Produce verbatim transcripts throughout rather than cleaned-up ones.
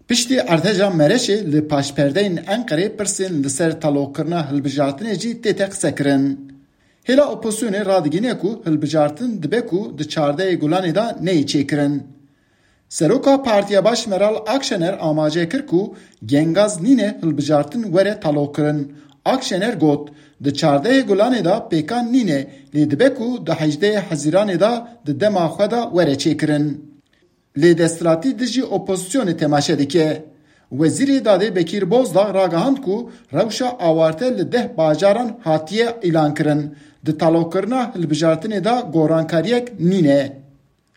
Piştî ardeja Mereşê li paşperdeyên Enqerê pirsên li ser taloqkirina hilbijartinê jî tête qisekirin. Hêla opozisyonê radigihîne ku hilbijartin dibe ku di çardehê Gulanê de neyê çêkirin. Seroka Partiya Baş Meral Akşener amaje kir ku gengaz nîne hilbijartin were taloqkirin. Akşener got, di çardehê Gulanê de pêkan nîne, lê dibe ku di hejdehê Hezîranê de di dema xwe de were çêkirin. Lê desthilatî dijî opozisyonê temaşe dike. Wezîrê Dadê Bekîr Bozdağ ragihand ku rewşa awarte li deh bajaran hatiye îlankirin. Di taloqkirina hilbijartinê de gorankariyek nîne.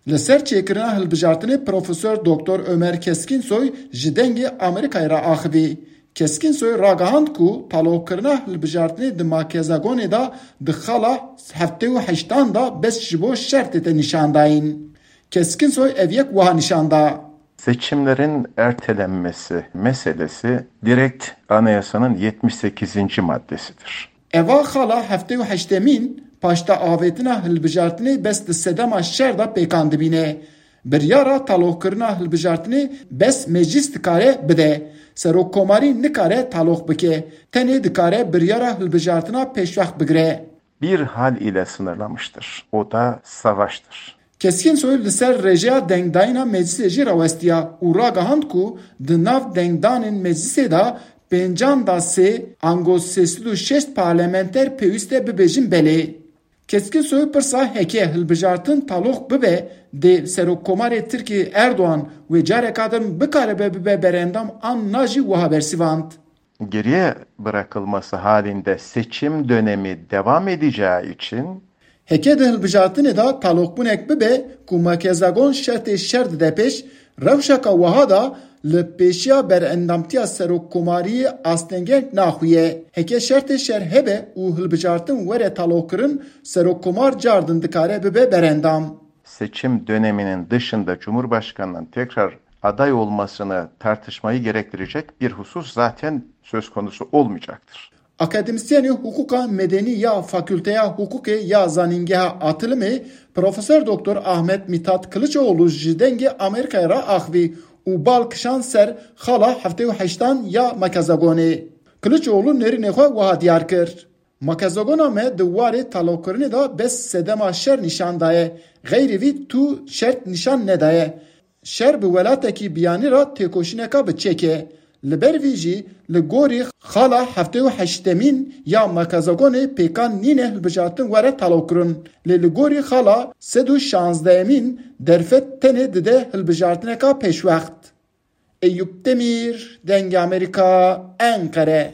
Li ser çêkirina hilbijartinê Profesor Doktor Ömer Keskinsoy ji Dengê Amerîkayê re axivî. Keskinsoy ragihand ku taloqkirina hilbijartinê di Makezagonê de di xala heftê û heştan de bes ji bo şer tête nîşandayîn. Keskinsoy ev yek wiha nîşan da. Seçimlerin ertelenmesi meselesi direkt anayasanın yetmiş sekizinci maddesidir. Eva xala heftê û heştemîn paşta avêtina hilbijartinê bes di sedema şer de pêkan dibîne. Biryara taloqkirina hilbijartinê bes meclis dikare bide. Serokkomarî nikare taloq bike. Tenê dikare biryara hilbijartina pêşwext bigire. Bir hal ile sınırlamıştır. O da savaştır. Keskinsoy li ser rêjeya dengdayîna meclisê jî rawestiya û ragihand ku di nav dengdanên meclisê de pêncan da sê ango sê sed û şêst parlamenter pêwîst e bibêjin belê. Keskinsoy pirsa heke hilbijartin taloq bibe, dê Serokkomarê Tirkiyê Erdogan wê careka din bikaribe bibe berendam an na jî wiha bersivand. Geriye bırakılması halinde seçim dönemi devam edeceği için Heke di hilbijartinê de taloqbûnek bibe ku Makezagon şertê şer dide pêş, rewşeka wiha de li pêşiya berendamtiya serokkomariyê astengek naxuye. Heke şertê şer hebe û hilbijartin were taloqkirin, serokkomar cardin dikare bibe berendam. Seçim döneminin dışında Cumhurbaşkanı'nın tekrar aday olmasını tartışmayı gerektirecek bir husus zaten söz konusu olmayacaktır. Akademîsyenê hiqûqa medenî ya Fakulteya Hiqûqê ya Zanîngeha Atilimê Profesor Doktor Ahmet Mithat Kiliçoğlu ji Dengê Amerîkayê re axivî û bal kişand ser xala heftê û heştan ya Makezagonê. Kiliçoğlu nêrînê xwe wiha diyar kir, Makezagona me di warê taloqkirinê de bes sedema şer nîşan daye, xeyrî vî tu şert nîşan nedaye. Şer bi welatekî biyanî re têkoşîneka bi çek e. Li ber vî jî li gorî xala heftê û heştemîn ya Makezagonê pêkan nîne hilbijartin were taloqkirin. Lê li gorî xala sed û şazdehemîn derfet tenê dide hilbijartineka pêşwext. Eyûp Demîr, Dengê Amerîka, Enqere.